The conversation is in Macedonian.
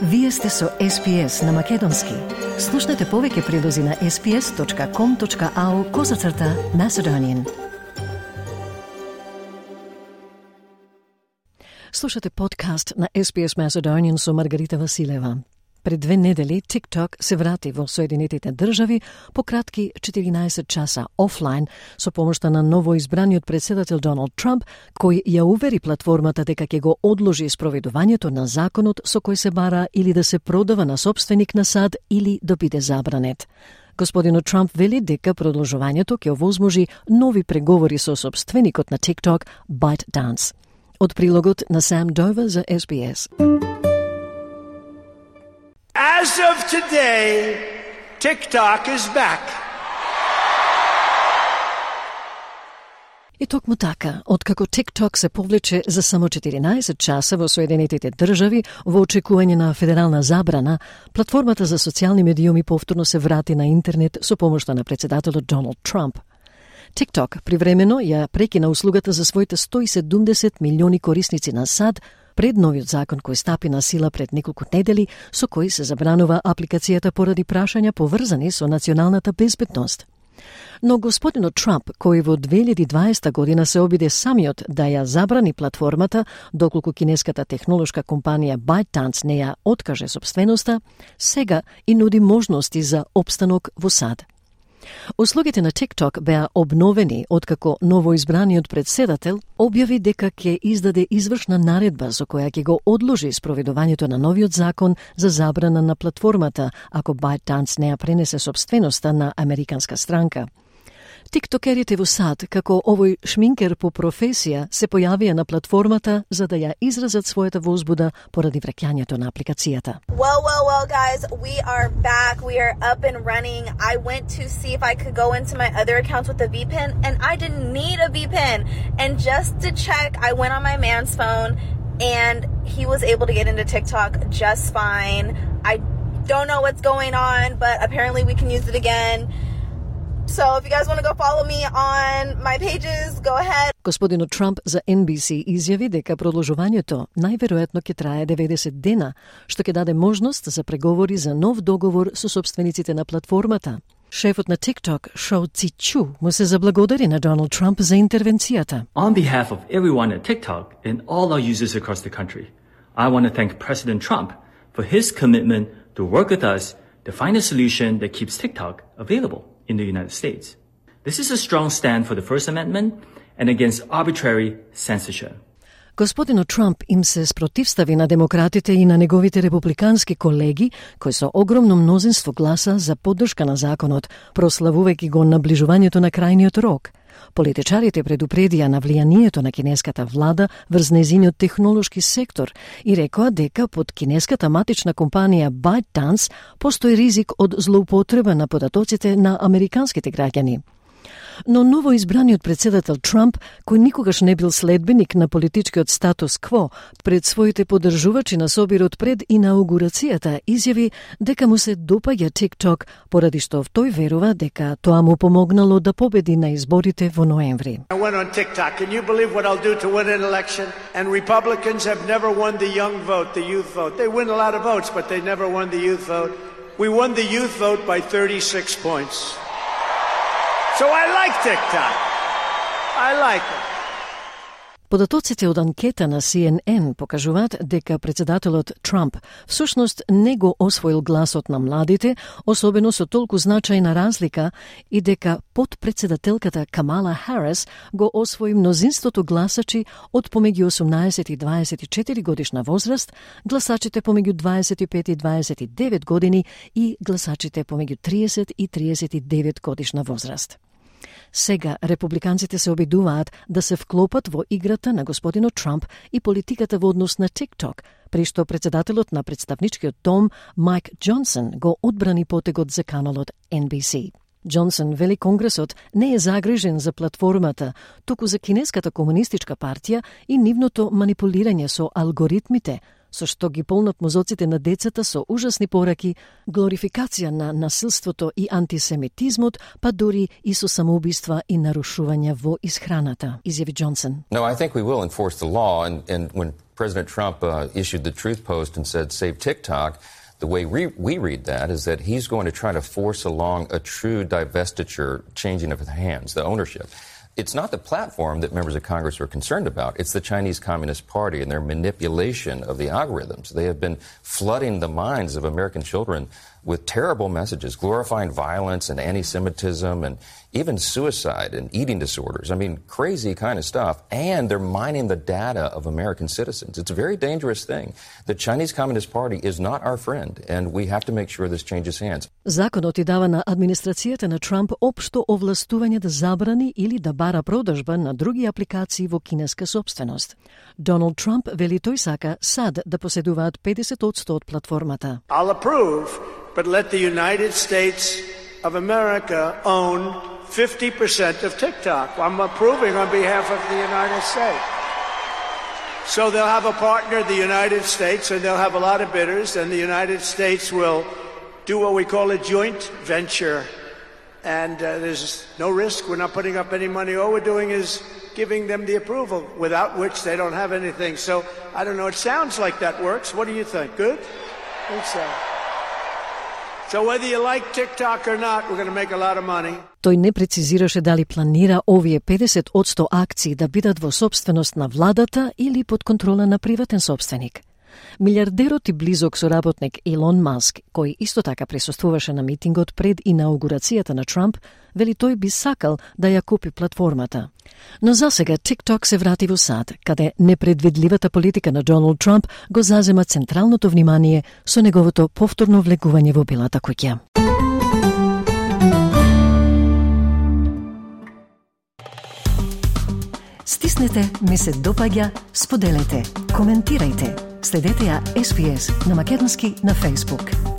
Вие сте со SPS на Македонски. Слушнете повеќе прилози на sps.com.au/Macedonian. Слушате подкаст на SPS Macedonian со Маргарита Василева. Пред 2 недели TikTok се врати во Соединетите држави по кратки 14 часа офлайн со помошта на новоизбраниот председател Доналд Трамп, кој ја увери платформата дека ќе го одложи спроведувањето на законот со кој се бара или да се продава на сопственик на сад или да биде забранет. Господинот Трамп вели дека продолжувањето ќе овозможи нови преговори со сопственикот на TikTok, ByteDance. Од прилогот на Сам Дова за SBS. As of today, TikTok is back. И токму така, откако TikTok се повлече за само 14 часа во Соединетите држави во очекување на федерална забрана, платформата за социјални медиуми повторно се врати на интернет со помошта на председателот Доналд Трамп. TikTok привремено ја прекина услугата за своите 170 милиони корисници на сад пред новиот закон кој стапи на сила пред неколку недели, со кој се забранува апликацијата поради прашања поврзани со националната безбедност. Но господинот Трамп, кој во 2020 година се обиде самиот да ја забрани платформата, доколку кинеската технолошка компанија ByteDance не ја откаже сопственоста, сега и нуди можности за опстанок во сад. Услугите на TikTok беа обновени откако новоизбраниот председател објави дека ќе издаде извршна наредба со која ќе го одложи спроведувањето на новиот закон за забрана на платформата ако ByteDance не ја пренесе сопственоста на американска странка. Тиктокерите во сад, како овој шминкер по професија, се појавија на платформата за да ја изразат својата возбуда поради враќањето на апликацијата. Well, guys, we are back. We are up and running. I went to see if I could go into my other accounts with a VPN, and I didn't need a VPN. And just to check, I went on my man's phone, and he was able to get into TikTok just fine. I don't know what's going on, but apparently we can use it again. So if you guys want to go follow me on my pages, go ahead. Господинот Трамп за NBC изјави дека продолжувањето најверојатно ќе трае 90 дена, што ќе даде можност за преговори за нов договор со сопствениците на платформата. Шефот на TikTok, Shou Zi Chew, му се заблагодари на Доналд Трамп за интервенцијата. On behalf of everyone at TikTok and all our users across the country, I want to thank President Trump for his commitment to work with us to find a solution that keeps TikTok available in the United States. This is a strong stand for the First Amendment and against arbitrary censorship. Господинот Трамп им се спротивстави на демократите и на неговите републикански колеги, кои со огромно мнозинство гласа за поддршка на законот, прославувајќи го наближувањето на крајниот рок. Политичарите предупредија на влијанието на кинеската влада врз нејзиниот технолошки сектор и рекоа дека под кинеската матична компанија ByteDance постои ризик од злоупотреба на податоците на американските граѓани. Но новоизбраниот председател Трамп, кој никогаш не бил следбеник на политичкиот статус кво, пред своите поддржувачи на собирот пред инаугурацијата, изјави дека му се допаѓа TikTok, поради што тој верува дека тоа му помогнало да победи на изборите во ноември. I went on TikTok. Can you believe what I'll do to win an election? And Republicans have never won the young vote, the youth vote. They win a lot of votes, but they never won the youth vote. We won the youth vote by 36 points. So I like TikTok. I like it. Податоците од анкета на CNN покажуваат дека председателот Трамп всушност не го освоил гласот на младите, особено со толку значајна разлика, и дека подпредседателката Камала Харис го освои мнозинството гласачи од помеѓу 18 и 24 годишна возраст, гласачите помеѓу 25 и 29 години и гласачите помеѓу 30 и 39 годишна возраст. Сега републиканците се обидуваат да се вклопат во играта на господинот Трамп и политиката во однос на TikTok, при што председателот на представничкиот дом Майк Џонсон го одбрани потегот за каналот NBC. Џонсон вели Конгресот не е загрижен за платформата, туку за кинеската комунистичка партија и нивното манипулирање со алгоритмите, со што ги полнат мозоците на децата со ужасни пораки, глорификација на насилството и антисемитизмот, па дури и со самоубиства и нарушувања во исхраната, изјави Џонсон. No, I think we will enforce the law, and when President Trump issued the Truth Post and said, save TikTok, the way we read that is that he's going to try to force along a true divestiture, changing of the hands, the ownership. It's not the platform that members of Congress are concerned about. It's the Chinese Communist Party and their manipulation of the algorithms. They have been flooding the minds of American children with terrible messages, glorifying violence and anti-Semitism and even suicide and eating disorders. I mean, crazy kind of stuff. And they're mining the data of American citizens. It's a very dangerous thing. The Chinese Communist Party is not our friend, and we have to make sure this changes hands. Законот и дава на администрацијата на Трамп општо овластување да забрани или да бара продажба на други апликации во кинеска собственост. Доналд Трамп вели тој сака сад да поседуваат 50% од платформата. I'll approve, but let the United States of America own 50% of TikTok. I'm approving on behalf of the United States. So they'll have a partner, the United States, and they'll have a lot of bidders, and the United States will do what we call a joint venture. And there's no risk. We're not putting up any money. All we're doing is giving them the approval, without which they don't have anything. So, I don't know, it sounds like that works. What do you think? Good? I think so. So whether you like TikTok or not, we're going to make a lot of money. Тој не прецизираше дали планира овие 50% акции да бидат во собственост на владата или под контрола на приватен собственик. Милиардерот и близок соработник Илон Маск, кој исто така присуствуваше на митингот пред инаугурацијата на Трамп, вели тој би сакал да ја купи платформата. Но засега TikTok се врати во сад, каде непредвидливата политика на Доналд Трамп го зазема централното внимание со неговото повторно влегување во Белата куќа. Стиснете, ми се допаѓа, споделете, коментирајте. Следете ја SPS на македонски на Facebook.